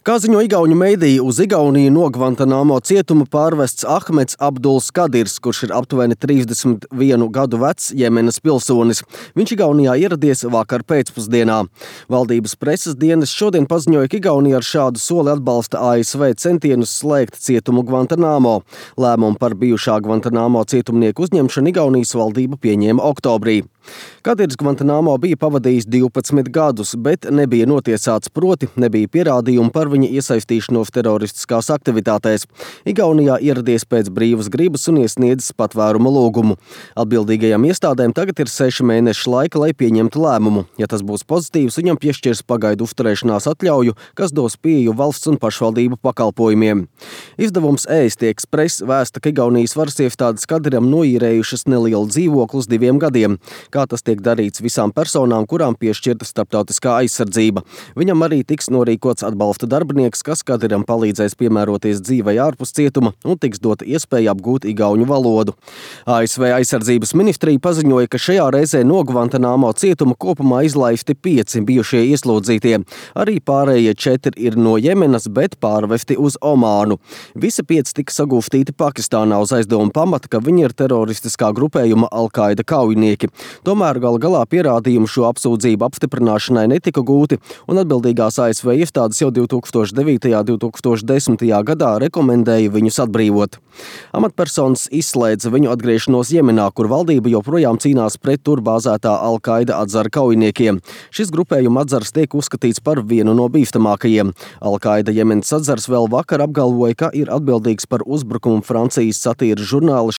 Kā ziņo igauņu mediji, uz Igauniju no Gvantanamo cietuma pārvests Ahmeds Abduls Kadirs, kurš ir aptuveni 31 gadu vecs Jemenas pilsonis. Viņš Igaunijā ieradies vakar pēcpusdienā. Valdības preses dienas šodien paziņoja, ka Igaunija ar šādu soli atbalsta ASV centienus slēgt cietumu Gvantanamo. Lēmumu par bijušā Gvantanamo cietumnieku uzņemšanu Igaunijas valdība pieņēma oktobrī. Kadirs Gvantanamo bija pavadījis 12 gadus, bet nebija notiesāts, proti nebija pierādījumu par viņa iesaistīšanos teroristiskās aktivitātēs. Igaunijā ieradies pēc brīvas gribas un iesniedzis patvēruma lūgumu. Atbildīgajām iestādēm tagad ir 6 mēneši laika, lai pieņemtu lēmumu. Ja tas būs pozitīvs, viņam piešķirs pagaidu uzturēšanās atļauju, kas dos pieeju valsts un pašvaldību pakalpojumiem. Izdevums Ēsti Express vēsta, ka Igaunijas varas iestādes Kadiram noīrējušas nelielu dzīvokli uz 2 gadiem. Kā tas tiek darīts visām personām, kurām piešķirta starptautiskā aizsardzība. Viņam arī tiks norīkots atbalsta darbinieks, kas Kadiram palīdzēs piemēroties dzīvei ārpus cietuma un tiks dota iespēja apgūt igauņu valodu. ASV aizsardzības ministrija paziņoja, ka šajā reizē no Gvantanamo cietuma kopumā izlaisti 5 bijušie ieslodzītie. Arī pārējie 4 ir no Jemenas, bet pārvesti uz Omānu. Visi 5 tika sagūstīti Pakistānā uz aizdomu pamata, ka viņi ir teroristiskā grupējuma Al-Qaida kaujinieki. Tomēr gala galā pierādījumu šo apsūdzību apstiprināšanai netika gūti, un atbildīgās ASV iestādes jau 2009. un 2010. gadā rekomendēja viņus atbrīvot. Amatpersonas izslēdza viņu atgriešanos Jemenā, kur valdība joprojām cīnās pret tur bāzētā Al-Qaida atzara kaujiniekiem. Šis grupējuma atzars tiek uzskatīts par vienu no bīstamākajiem. Al-Qaida Jemenas atzars vēl vakar apgalvoja, ka ir atbildīgs par uzbrukumu Francijas satīras žurnāla